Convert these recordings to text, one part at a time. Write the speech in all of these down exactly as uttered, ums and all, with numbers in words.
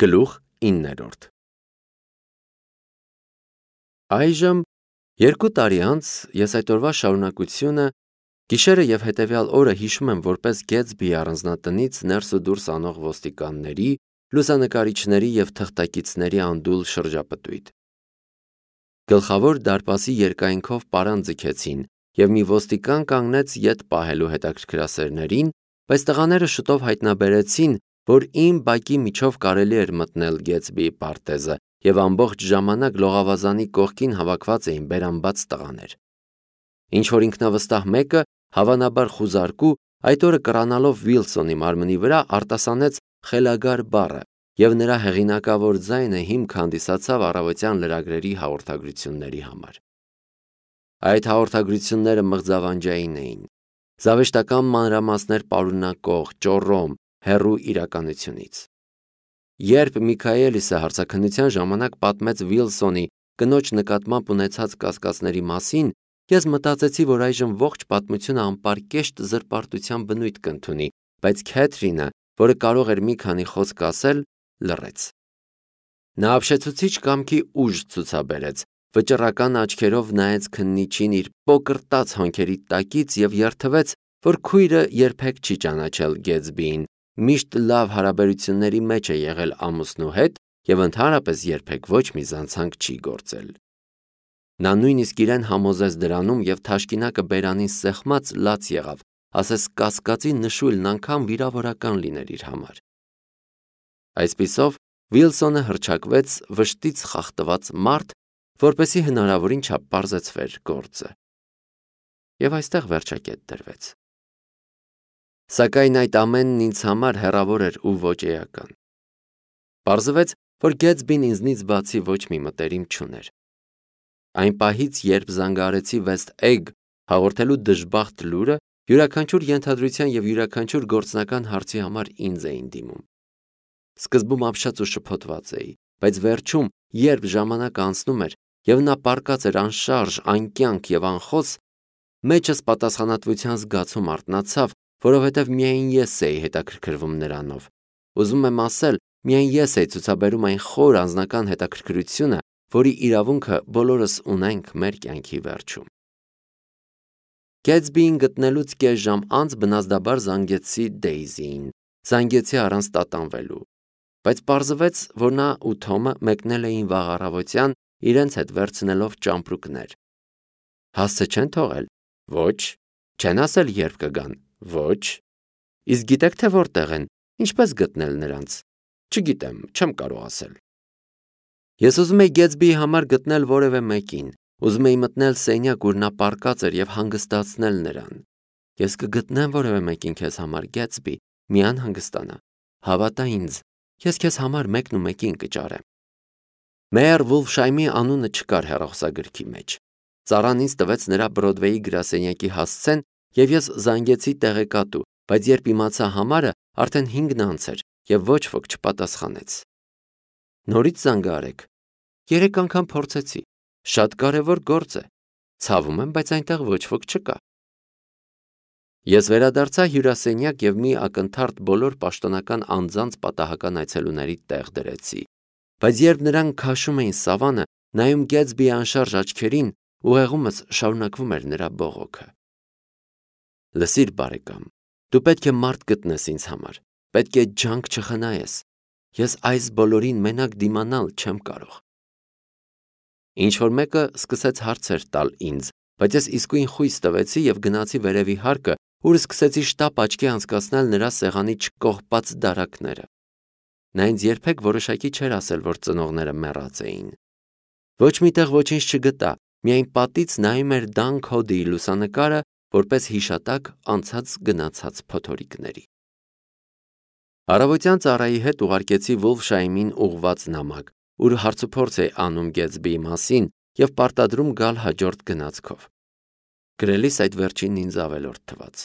Գլուխ իններորդ Այժմ երկու տարի անց ես այդ օրվա շարունակությունը գիշերը և հետևյալ օրը հիշում եմ որպես Գեթսբիի առանձնատնից ներս ու դուրս անող ոստիկանների, լուսանկարիչների և թղթակիցների անդուլ շրջապտույտ։ Գլխավոր դարպասի երկայնքով պարան ձգեցին, և մի ոստիկան կանգնեց ետ պահելու հետաքրքրասերներին, բայց տղաները շուտով հայտնաբերեցին, որ իմ բակի միջով կարելի էր մտնել Գեթսբիի պարտեզը, և ամբողջ ժամանակ լողավազանի կողքին հավաքված էին բերանբաց տղաներ։ Ինչ-որ ինքնավստահ մեկը, հավանաբար խուզարկու, այդ օրը կռանալով Վիլսոնի մարմնի վրա արտասանեց «խելագար» բառը, և նրա հեղինակավոր ձայնը հիմք հանդիսացավ առավոտյան լրագրերի հաղորդագրությունների համար։ Այդ հաղորդագրությունները մղձավանջային էին, զավեշտական մանրամասներ պարունակող, ճոռոմ, հեռու իրականությունից։ Երբ Միքայելիսը հարցաքննության ժամանակ պատմեց Վիլսոնի կնոջ նկատմամբ ունեցած կասկածների մասին, ես մտածեցի, որ այժմ ողջ պատմությունը անպարկեշտ զրպարտության բնույթ կընդունի, բայց Քեթրինը, որը կարող էր մի քանի խոսք ասել, լռեց։ Նա ապշեցուցիչ կամքի ուժ ցուցաբերեց, վճռական աչքերով նայեց քննիչին իր պոկրտաց հոնքերի տակից և երդվեց, որ քույրը երբեք չի ճանաչել Գեթսբիին, միշտ լավ հարաբերությունների մեջ է եղել ամուսնու հետ և ընդհանրապես երբեք ոչ մի զանցանք չի գործել։ Նա նույնիսկ իրեն համոզեց դրանում և թաշկինակը բերանին սեղմած լաց եղավ, ասես կասկածի նշույլն անգամ վիրավորական լիներ իր համար։ Այսպիսով Վիլսոնը հռչակվեց վշտից խախտված մարդ, որպեսզի հնարավորին չափ պարզեցվեր գործը։ Եվ այստեղ վերջակետ դրվեց։ Սակայն այդ ամենն ինձ համար հեռավոր էր ու ոչ էական։ Պարզվեց, որ Գեթսբին ինձնից բացի ոչ մի մտերիմ չուներ։ Այն պահից, երբ զանգահարեցի West Egg հաղորդելու դժբախտ լուրը, յուրաքանչյուր ենթադրության և յուրաքանչյուր գործնական հարցի համար ինձ էին դիմում։ Սկզբում ապշած ու շփոթված էի, բայց վերջում, երբ ժամանակը անցնում էր, և նա պառկած էր անշարժ, անկյանք և անխոս, մեջս պատասխանատվության զգացում արթնացավ, որովհետև միայն ես էի հետաքրքրվում նրանով։ Ուզում եմ ասել, միայն ես էի ցուցաբերում այն խոր անձնական հետաքրքրությունը, որի իրավունքը բոլորս ունենք մեր կյանքի վերջում։ Գեթսբիին գտնելուց կես ժամ անց բնազդաբար զանգեցի Դեյզիին, զանգեցի առանց տատանվելու, բայց պարզվեց, որ նա ու Թոմը մեկնել էին վաղ առավոտյան, իրենց հետ վերցնելով ճամպրուկներ։ Հասցե չեն թողել։ Ոչ։ Չեն ասել երբ կգան։ Ոչ։ Իսկ գիտեք թե որտեղ են, ինչպես գտնել նրանց։ Չգիտեմ, չեմ կարող ասել։ Ես ուզում էի Գեթսբիի համար գտնել որևէ մեկին, ուզում էի մտնել սենյակ, ուր նա պառկած էր և հանգստացնել նրան։ Ես կգտնեմ որևէ մեկին քեզ համար, Գեթսբի, մի անհանգստանա։ Հավատա ինձ, ես քեզ համար մեկն ու մեկին կճարեմ։ Մեյր Վուլֆշայմի անունը չկար հեռախոսագրքի մեջ։ Ծառան ինձ տվեց նրա Բրոդվեյի գրասենյակի հասցեն, և ես զանգեցի տեղեկատու, բայց երբ իմացա համարը, արդեն հինգն անց էր, և ոչ ոք չպատասխանեց։ Նորից զանգահարեք։ Երեք անգամ փորձեցի։ Շատ կարևոր գործ է։ Ցավում եմ, բայց այնտեղ ոչ ոք չկա։ Ես վերադարձա հյուրասենյակ և մի ակնթարթ բոլոր պաշտոնական անձանց պատահական այցելուների տեղ դրեցի, բայց երբ նրանք քաշում էին սավանը, նայում Գեթսբիի անշարժ աչքերին, ուղեղումս շարունակվում էր նրա բողոքը։ Լսիր, բարեկամ, դու պետք է մարդ գտնես ինձ համար, պետք է ջանք չխնայես։ Ես այս բոլորին մենակ դիմանալ չեմ կարող։ Ինչ-որ մեկը սկսեց հարցեր տալ ինձ, բայց ես իսկույն խույս տվեցի և գնացի վերևի հարկը, ուր սկսեցի շտապ աչքի անցկացնել նրա սեղանի չկողպած դարակները։ Նա ինձ երբեք որոշակի չէր ասել, որ ծնողները մեռած էին։ Ոչ մի տեղ ոչինչ չգտա, միայն պատից նայում էր Դան Քոդիի լուսանկարը, որպես հիշատակ անցած գնացած փոթորիկների։ Առավոտյան ծառայի հետ ուղարկեցի Վուլֆշայմին ուղղված նամակ, ուր հարցուփորձ էի անում Գեթսբիի մասին և պարտադրում գալ հաջորդ գնացքով։ Գրելիս այդ վերջինն ինձ ավելորդ թվաց։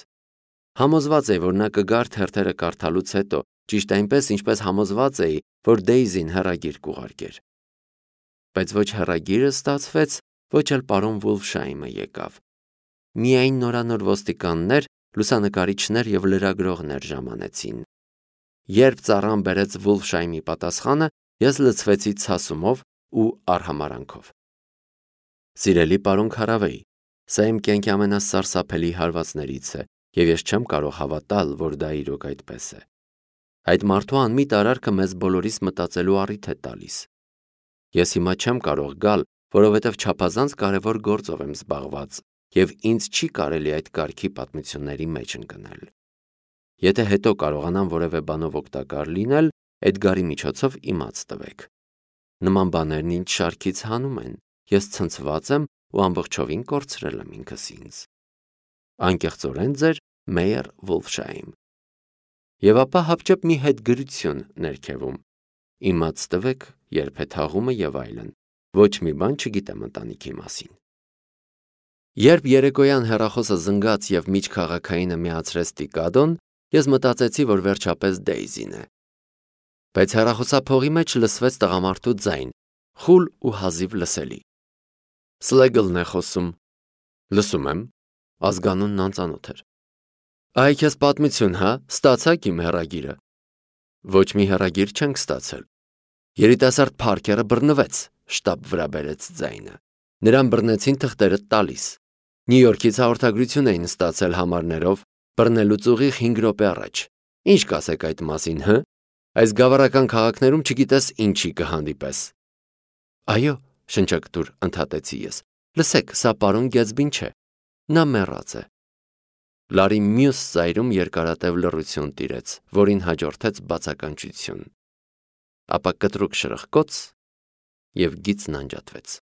Համոզված էի, որ նա կգար թերթերը կարդալուց հետո, ճիշտ այնպես, ինչպես համոզված էի, որ Դեյզին հեռագիր կուղարկեր։ Բայց ոչ հեռագիրը ստացվեց, ոչ էլ պարոն Վուլֆշայմը եկավ։ Միայն նորանոր ոստիկաններ, լուսանկարիչներ և լրագրողներ ժամանեցին։ Երբ ծառան բերեց Վուլֆշայմի պատասխանը, ես լցվեցի ցասումով ու արհամարանքով։ Սիրելի պարոն Քարավեի, սա իմ կյանքի ամենասարսափելի հարվածներից է, եւ ես չեմ կարող հավատալ, որ դա իրոք այդպես է։ Այդ մարդու անմիտ արարքը մեզ բոլորիս մտածելու առիթ է տալիս։ Ես հիմա չեմ կարող գալ, որովհետև չափազանց կարևոր գործով եմ զբաղված, եւ ինձ չի կարելի այդ կարգի պատմությունների մեջ ընկնել։ Եթե հետո կարողանամ որևէ բանով օգտակար լինել, Էդգարի միջոցով իմաց տվեք։ Նման բաներն ինձ շարքից հանում են, ես ցնցված եմ ու ամբողջովին կորցրել եմ ինքս ինձ։ Անկեղծորեն ձեր Մեյեր Վուլֆշայմ։ Եվ ապա հապճեպ մի հետգրություն ներքևում։ Իմաց տվեք, երբ է թաղումը եւ այլն։ Ոչ մի բան չգիտեմ ընտանիքի մասին։ Երբ երեկոյան հեռախոսը զնգաց եւ միջքաղաքայինը միացրեց Տիկադոն, ես մտածեցի, որ վերջապես Դեյզին է։ Բայց հեռախոսափողի մեջ լսվեց տղամարդու ձայն, խուլ ու հազիվ լսելի։ Սլեգլն է խոսում։ Լսում եմ, ազգանունն անծանոթ էր։ Այ քեզ պատմություն, հա, ստացաք իմ հեռագիրը։ Ոչ մի հեռագիր չենք ստացել։ Երիտասարդ Փարքերը բռնվեց, շտապ վրա բերեց ձայնը։ Նրան բռնեցին թղթերը տալիս։ Նյու Յորքից հաղորդագրություն էին ստացել համարներով, բռնելուց ուղիղ հինգ րոպե առաջ։ Ինչ կասեք այդ մասին, հը։ Այս գավառական քաղաքներում չգիտես ինչի կհանդիպես։ Այո, շնչակտուր ընդհատեցի ես։ Լսեք, սա պարոն Գեթսբին չէ։ Նա մեռած է։ Լարի մյուս ծայրում երկարատև լռություն տիրեց, որին հաջորդեց բացականչություն։ Ապա կտրուկ շրխկոց եւ գիծն անջատվեց։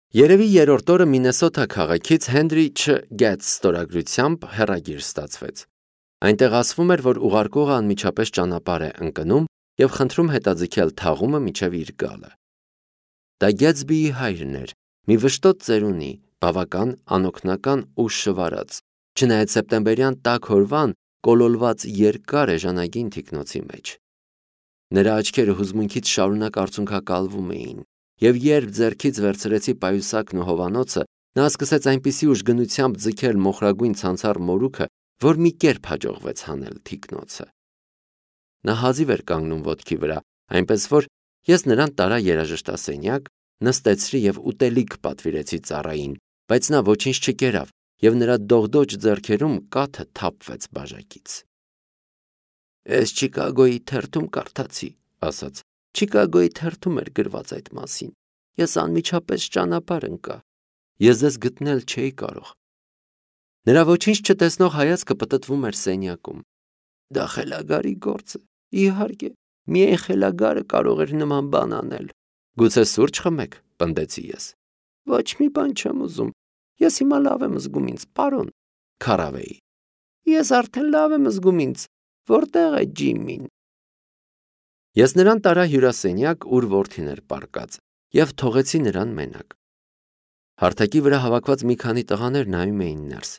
Երևի երրորդ օրը Մինեսոթա քաղաքից Հենրի Չ. Գեթս ստորագրությամբ հեռագիր ստացվեց։ Այնտեղ ասվում էր, որ ուղարկողը անմիջապես ճանապարհ է ընկնում եւ խնդրում հետաձգել թաղումը մինչեւ իր գալը։ Դա Գեթսբիի հայրն էր, մի վշտոտ ծերունի, բավական անօգնական ու շվարած, չնայած սեպտեմբերյան տաք օրվան կոլոլված երկար էժանագին թիկնոցի մեջ։ Նրա աչքերը հուզմունքից շարունակ արցունքակալվում էին, եւ երբ ձեռքից վերցրեցի պայուսակն ու հովանոցը, նա սկսեց այնպիսի ուժգնությամբ ձգել մոխրագույն ցանցառ մորուքը, որ մի կերպ հաջողվեց հանել թիկնոցը։ Նա հազիվ էր կանգնում ոտքի վրա, այնպես որ ես նրան տարա երաժշտասենյակ, նստեցրի եւ ուտելիք պատվիրեցի ծառային, բայց նա ոչինչ չկերավ եւ նրա դողդոջ ձեռքերում կաթը թափվեց բաժակից։ Ես Չիկագոյի թերթում կարդացի, ասաց։ Չիկագոյի թերթում էր գրված այդ մասին։ Ես անմիջապես ճանապարհ ընկա։ Ես ձեզ գտնել չէի կարող։ Նրա ոչինչ չտեսնող հայացքը պտտվում էր սենյակում։ Դա խելագարի գործ է։ Իհարկե, միայն խելագարը կարող էր նման բան անել։ Գուցե սուրճ խմեք, պնդեցի ես։ Ոչ մի բան չեմ ուզում։ Ես հիմա լավ եմ զգում ինձ, պարոն Քարավեի։ Ես արդեն լավ եմ զգում ինձ։ Որտեղ է Ջիմին։ Ես նրան տարա հյուրասենյակ, ուր որդին էր պառկած, եւ թողեցի նրան մենակ։ Հարթակի վրա հավաքված մի քանի տղաներ նայում էին ներս։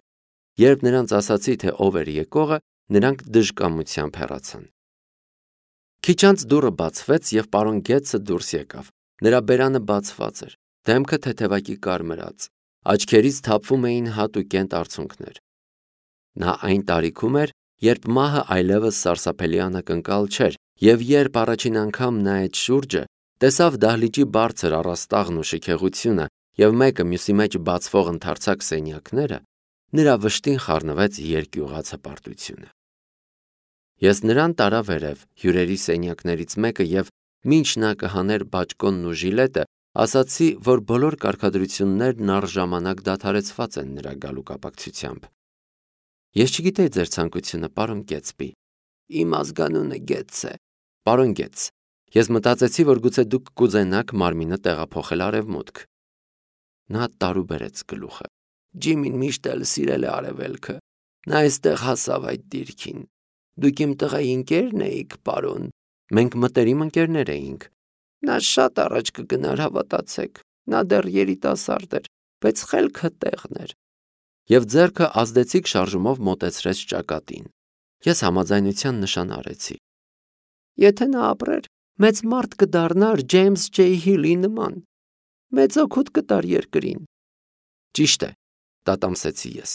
Երբ նրանց ասացի, թե ով էր եկողը, նրանք դժկամությամբ հեռացան։ Քիչ անց դուռը բացվեց եւ պարոն Գեթսը դուրս եկավ։ Նրա բերանը բացված էր, դեմքը թեթևակի կարմրած, աչքերից թափվում էին հատուկենտ արցունքներ։ Նա այն տարիքում էր, երբ մահը այլևս սարսափելի անակնկալ չէր, եւ երբ առաջին անգամ նայեց շուրջը, տեսավ դահլիճի բարձր առաստաղն ու շքեղությունը եւ մեկը մյուսի մեջ բացվող ընդարձակ սենյակները, նրա վշտին խառնվեց երկյուղած հպարտությունը։ Ես նրան տարա վերև հյուրերի սենյակներից մեկը եւ մինչ նա կհաներ բաճկոնն ու ժիլետը, ասացի, որ բոլոր կարգադրություններն առժամանակ դադարեցված են նրա գալու կապակցությամբ։ Ես չգիտեի ձեր ցանկությունը, պարոն Գեթսբի։ Իմ ազգանունը Գեթս է, պարոն Գեթս։ Ես մտածեցի, որ գուցե դուք կուզենաք մարմինը տեղափոխել արևմուտք։ Նա տարուբերեց գլուխը։ Ջիմին միշտ էլ սիրել է արևելքը։ Նա այստեղ հասավ այդ դիրքին։ Դուք իմ տղայի ընկերն էիք, պարոն։ Մենք մտերիմ ընկերներ էինք։ Նա շատ առաջ կգնար, հավատացեք։ Նա դեռ երիտասարդ էր, բայց խելքը տեղն էր։ Եվ ձեռքը ազդեցիկ շարժումով մոտեցրեց ճակատին։ Ես համաձայնության նշան արեցի։ Եթե նա ապրեր, մեծ մարդ կդառնար Ջեյմս Ջեյ Հիլի նման։ Մեծ օգուտ կտար երկրին։ Ճիշտ է, տատամսեցի ես։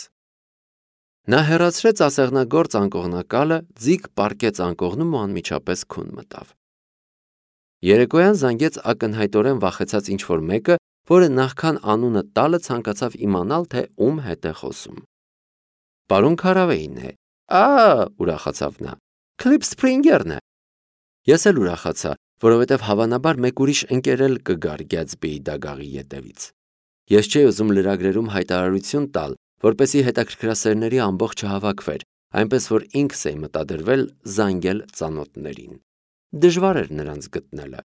Նա հեռացրեց ասեղնագործ անկողնակալը, ձիգ պառկեց անկողնում ու անմիջապես քուն մտավ։ Երեկոյան զանգեց ակնհայտորեն վախեցած ինչ-որ մեկը, որը նախքան անունը տալը ցանկացավ իմանալ, թե ում հետ է խոսում։ Պարոն Քարավեին է։ Ա, ուրախացավ նա։ Քլիփ Սփրինգերն է։ Ես էլ ուրախացա, որովհետև հավանաբար մեկ ուրիշ ընկեր էլ կգար Գյաթսբիի դագաղի ետևից։ Ես չէի ուզում լրագրերում հայտարարություն տալ, որպեսզի հետաքրքրասերների ամբողջ չհավաքվեր, այնպես որ ինքս էի մտադրվել զանգել ծանոթներին։ Դժվար էր նրանց գտնելը։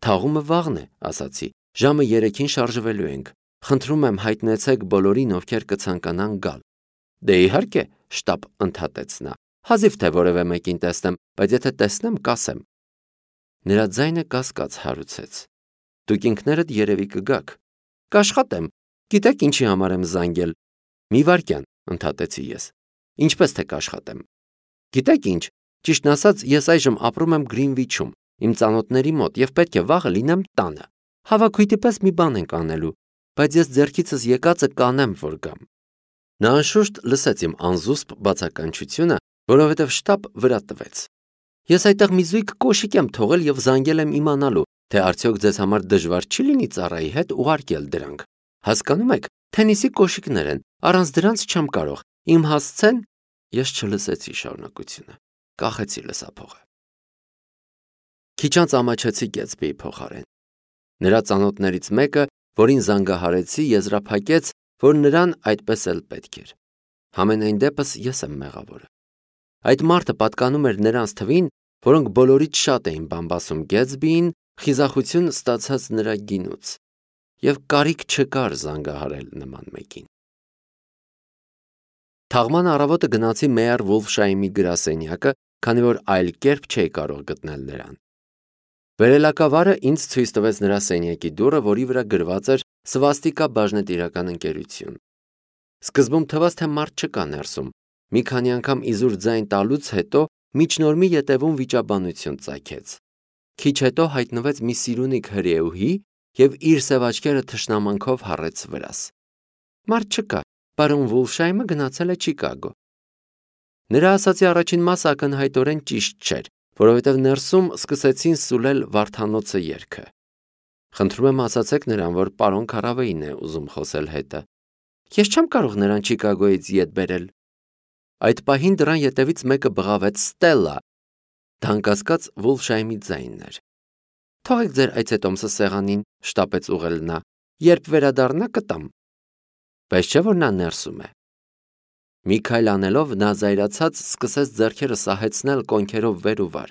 Թաղումը վաղն է, ասացի, ժամը երեքին շարժվելու ենք։ Խնդրում եմ հայտնեցեք բոլորին, ովքեր կցանկանան գալ։ Դե իհարկե, շտապ ընդհատեց նա։ Հազիվ թե որևէ մեկին տեսնեմ, բայց եթե տեսնեմ, կասեմ։ Նրա ձայնը կասկած հարուցեց։ Դուք ինքներդ երևի կգաք։ Կաշխատեմ։ Գիտեք ինչի համար եմ զանգել։ Մի վայրկյան, ընդհատեցի ես։ Ինչպես թե կաշխատեմ։ Գիտեք ինչ, ճիշտն ասած, ես այժմ ապրում եմ Գրինվիչում, իմ ծանոթների մոտ եւ պետք է վաղը լինեմ տանը։ Հավաքույթի պես մի բան ենք անելու, բայց ես ձեռքիցս եկածը կանեմ, որ գամ։ Նա անշուշտ լսեց իմ անզուսպ բացականչությունը, որովհետև շտապ վրա տվեց։ Ես այդտեղ մի զույգ կոշիկ եմ թողել եւ զանգել եմ իմանալու, թե արդյոք ձեզ համար դժվար չի լինի ծառայի հետ ուղարկել դրանք։ Հասկանում եք, թենիսի կոշիկներ են, առանց դրանց չեմ կարող։ Իմ հասցեն, ես չլսեցի շարունակությունը։ Կախեցի լսափողը։ Քիչ անց ամաչեցի Գյաթսբիի փոխարեն։ Նրա ծանոթներից մեկը, որին զանգահարեցի, եզրափակեց, որ նրան այդպես էլ պետք էր։ Համենայն դեպս ես եմ մեղավորը։ Այդ մարդը պատկանում էր նրանց թվին, որոնք բոլորից շատ էին բամբասում Գյաթսբիին, խիզախություն ստացած նրա գինուց, եւ կարիք չկար զանգահարել նման մեկին։ Թաղման առավոտը գնացի Մեյեր Վոլֆշայմի գրասենյակը, քանի որ այլ կերպ չէի կարող գտնել նրան։ Վերելակավարը ինձ ցույց տվեց նրա սենյակի դուռը, որի վրա գրված էր Սվաստիկա բաժնետիրական ընկերություն։ Սկզբում թվաց, թե մարդ չկա ներսում։ Մի քանի անգամ իզուր ձայն տալուց հետո միջնորմի ետևում վիճաբանություն ծագեց։ Քիչ հետո հայտնվեց մի սիրունիկ հրեուհի եւ իր սև աչքերը թշնամանքով հառեց վրաս։ Մարդ չկա, պարոն Վոլֆշայմը գնացել է Չիկագո։ Նրա ասացի առաջին մասը ակնհայտորեն ճիշտ չէր, որովհետև ներսում սկսեցին սուլել Վարդանոցը երգը։ Խնդրում եմ ասացեք նրան, որ պարոն Քարավեին է ուզում խոսել հետը։ Ես չեմ կարող նրան Չիկագոյից ետ բերել։ Այդ պահին դրան ետևից մեկը բղավեց Ստելլա։ Դանկասկած Վոլֆշայմի ձայնն էր։ Թողեք ձեր այցետոմսը սեղանին, շտապեց ուղղել նա։ Երբ վերադառնա կտամ։ Բայց չէ որ նա ներսում է։ Մի քայլ անելով նա զայրացած սկսեց ձեռքերը սահեցնել կոնքերով վեր ու վար։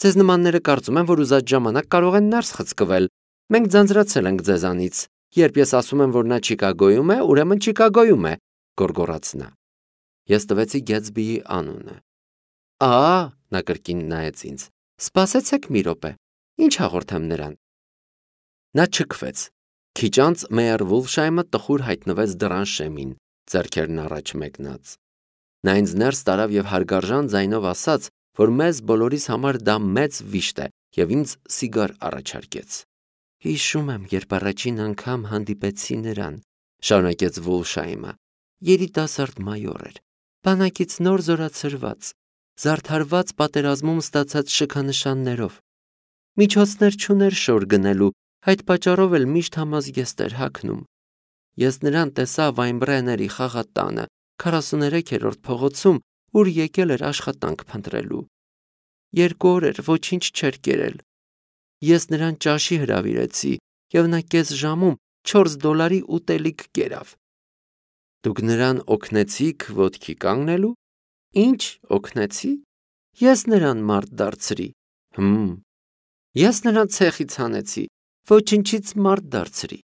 Ձեզ նմանները կարծում են, որ ուզած ժամանակ կարող են ներս խցկվել։ Մենք ձանձրացել ենք ձեզանից։ Երբ ես ասում եմ, որ նա Չիկագոյում է, ուրեմն Չիկագոյում է, գոռգոռաց նա։ Ես տվեցի Գյաթսբիի անունը։ Ահա, նա կրկին նայեց ինձ։ Սպասեցեք մի րոպե։ Ինչ հաղորդեմ նրան։ Նա չքվեց։ Քիչ անց Մեյեր Վոլֆշայմը տխուր հայտնվեց դռան շեմին, ձեռքերն առաջ մեկնած։ Նա ինձ ներս տարավ եւ հարգարժան ձայնով ասաց, որ մեզ բոլորիս համար դա մեծ վիշտ է եւ ինձ սիգար առաջարկեց։ Հիշում եմ, երբ առաջին անգամ հանդիպեցի նրան, շարունակեց Վոլֆշայմը։ Երիտասարդ մայոր էր, բանակից նոր զորացրված, զարդարված պատերազմում ստացած շքանշաններով։ Միջոցներ չուներ շոր գնելու, այդ պատճառով էլ միշտ համազգեստ էր հագնում։ Ես նրան տեսա Վայնբրեների խաղատանը, քառասուներեքերորդ փողոցում, ուր եկել էր աշխատանք փնտրելու։ Երկու օր էր ոչինչ չէր կերել։ Ես նրան ճաշի հրավիրեցի, եւ նա կես ժամում չորս դոլարի ուտելիք կերավ։ Դուք նրան օգնեցիք ոտքի կանգնելու։ Ինչ օգնեցի։ Ես նրան մարդ դարձրի։ Հմ։ Ես նրան ցեխից հանեցի, ոչնչից մարդ դարձրի։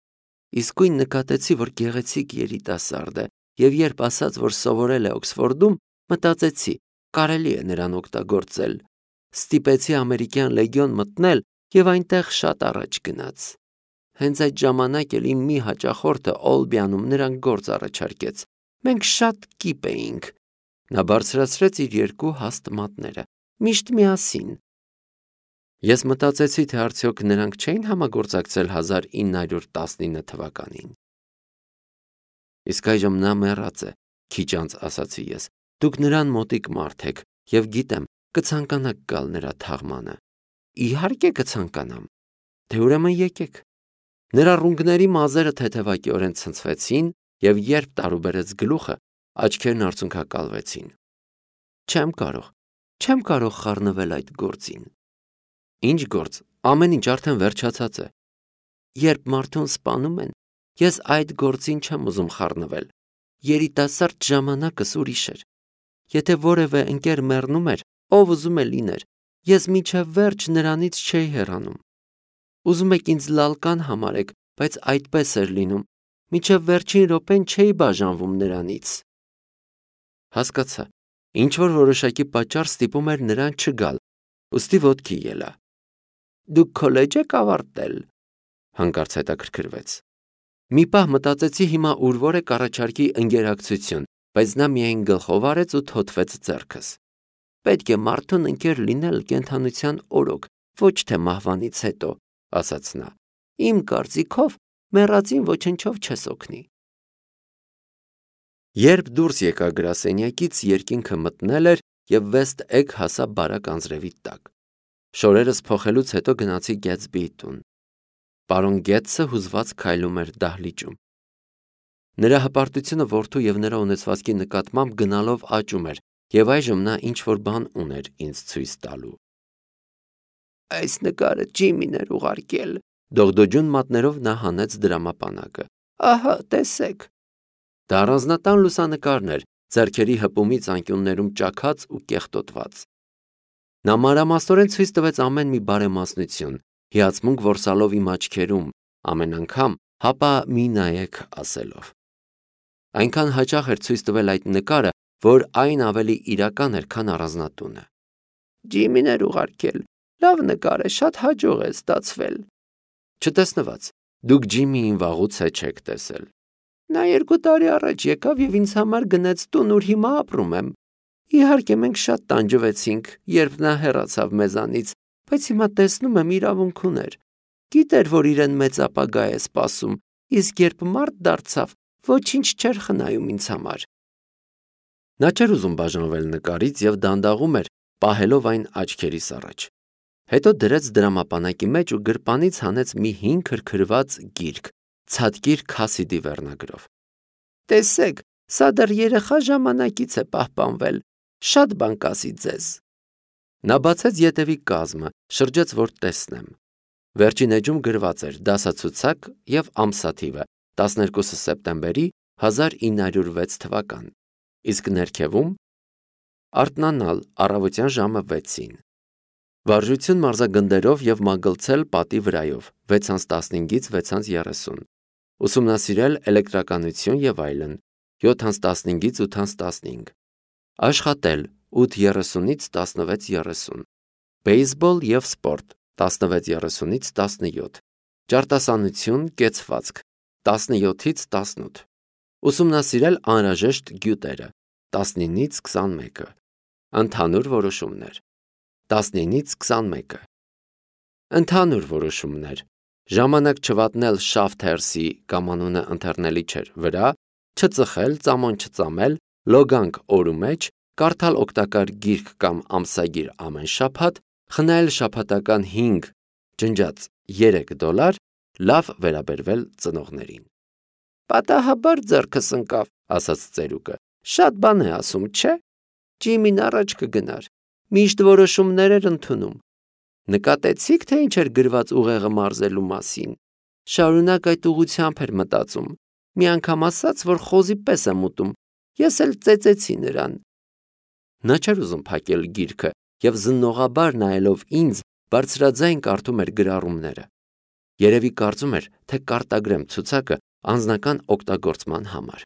Իսկույն նկատեցի, որ գեղեցիկ երիտասարդ է, եւ երբ ասաց, որ սովորել է Օքսֆորդում, մտածեցի, կարելի է նրան օգտագործել։ Ստիպեցի ամերիկյան լեգիոն մտնել եւ այնտեղ շատ առաջ գնաց։ Հենց այդ ժամանակ էլ իմ մի հաճախորդը Օլբիանում նրան գործ առաջարկեց։ Մենք շատ կիպ էինք։ Նա բարձրացրեց իր երկու հաստ մատները։ Միշտ միասին։ Ես մտածեցի, թե արդյոք նրանք չէին համագործակցել հազար ինը հարյուր տասնինը թվականին։ Իսկ այժմ նա մեռած է, Քիչ անց ասացի ես, դուք նրան մոտիկ մարդ եք և գիտեմ, կցանկանաք գալ նրա թաղմանը։ Իհարկե կցանկանամ։ Դե ուրեմն եկեք։ Նրա ռունգների մազերը թեթևակիորեն ցնցվեցին և երբ տարուբերեց գլուխը, աչքերն արցունքակալվեցին։ Չեմ կարող, չեմ կարող խառնվել այդ գործին։ Ինչ գործ, ամեն ինչ արդեն վերջացած է։ Երբ մարդուն սպանում են, ես այդ գործին չեմ ուզում խառնվել։ Երիտասարդ ժամանակս ուրիշ էր։ Եթե որևէ ընկեր մեռնում էր, ով ուզում է լիներ, ես մինչև վերջ նրանից չէի հեռանում։ Ուզում եք ինձ լալկան համարեք, բայց այդպես էր լինում, մինչև վերջին րոպեն չէի բաժանվում նրանից։ Հասկացա, ինչ-որ որոշակի պատճառ ստիպում էր նրան չգալ, ուստի ոտքի ելա։ Դուք քոլեջ եք ավարտել, հանկարծ հետաքրքրվեց։ Մի պահ մտածեցի հիմա ուր որ է կառաջարկի ընկերակցություն, բայց նա միայն գլխով արեց ու թոթվեց ձեռքս։ Պետք է մարդուն ընկեր լինել կենդանության օրոք, ոչ թե մահվանից հետո, ասաց նա։ Իմ կարծիքով մեռածին ոչնչով չես օգնի։ Երբ դուրս եկա գրասենյակից, երկինքը մտնել էր և Վեստ Էգ հասա բարակ անձրևի տակ։ Շորերս փոխելուց հետո գնացի Գեթսբիի տուն։ Պարոն Գետսը հուզված քայլում էր դահլիճում։ Նրա հպարտությունը որդու և նրա ունեցվածքի նկատմամբ գնալով աճում էր, և այժմ նա ինչ-որ բան ուներ ինձ ցույց տալու։ Այս նկարը Ջիմին էր ուղարկել, դողդոջուն մատներով նա հանեց դրամապանակը։ Ահա, տեսեք։ Դա առանձնատան լուսանկարն էր, ձեռքերի հպումից անկյուններում ճաքած ու կեղտոտված։ Նա մանրամասնորեն ցույց տվեց ամեն մի բարեմասնություն, հիացմունք որսալով իմ աչքերում, ամեն անգամ հապա մի նայեք ասելով։ Այնքան հաճախ էր ցույց տվել այդ նկարը, որ այն ավելի իրական էր, քան առանձնատունը։ Ջիմին էր ուղարկել, լավ նկար է, շատ հաջող է ստացվել։ Չտեսնված, դուք Ջիմիին վաղուց է չեք տեսել։ Նա երկու տարի առաջ եկավ և ինձ համար գնեց տուն, ուր հիմա ապրում եմ։ Իհարկե մենք շատ տանջվեցինք, երբ նա հեռացավ մեզանից, բայց հիմա տեսնում եմ իրավունք ուներ։ Գիտեր, որ իրեն մեծ ապագա է սպասում, իսկ երբ մարդ դարձավ, ոչինչ չէր խնայում ինձ համար։ Նա չէր ուզում բաժանվել նկարից և դանդաղում էր, պահելով այն աչքերիս առաջ։ Հետո դրեց դրամապանակի մեջ ու գրպանից հանեց մի հին քրքրված գիրք, Ցատկիր Քասիդի վերնագրով։ Տեսեք, սա դեռ երեխա ժամանակից է պահպանվել, շատ բան կասի ձեզ։ Նա բացեց ետևի կազմը, շրջեց, որ տեսնեմ։ Վերջին էջում գրված էր դասացուցակ և ամսաթիվը տասներկուսը սեպտեմբերի հազար ինը հարյուր վեց թվական, իսկ ներքևում արթնանալ առավոտյան ժամը վեցին։ Վարժություն մարզագնդերով և մագլցել պատի վրայով վեց անց տասնհինգից վեց անց երեսուն, ուսումնասիրել էլեկտրականություն և այլն յոթ անց տասնհինգից ութ անց տասնհինգ, աշխատել ութ երեսունից տասնվեց երեսուն, բեյսբոլ և սպորտ տասնվեց երեսունից տասնյոթ, ճարտասանություն, կեցվածք տասնյոթից տասնութ, ուսումնասիրել անհրաժեշտ գյուտերը տասնինից քսանմեկը, ընդհանուր որոշումներ տասնինից քսանմեկը, ընդհանուր որոշումներ, ժամանակ չվատնել Շաֆթերսի կամ անունը ընթեռնելի չէր վրա, չծխել, ծամոն չծամել, լոգանք օրու մեջ, կարդալ օգտակար գիրք կամ ամսագիր ամեն շաբաթ, խնայել շաբաթական հինգ, ջնջած երեք դոլար, լավ վերաբերվել ծնողներին։ Պատահաբար ձեռքս ընկավ, ասաց ծերուկը, շատ բան է ասում, չէ։ Ջիմին առաջ կգնար, միշտ որոշումներ էր ընդունում։ Նկատեցիք, թե ինչ էր գրված ուղեղը մարզելու մասին։ Շարունակ այդ ուղղությամբ էր մտածում։ Մի անգամ ասաց, որ խոզի պես եմ ուտում, ես էլ ծեծեցի նրան։ Նա չէր ուզում փակել գիրքը և զննողաբար նայելով ինձ, բարձրաձայն կարդում էր գրառումները։ Երևի կարծում էր, թե կարտագրեմ ցուցակը անձնական օգտագործման համար։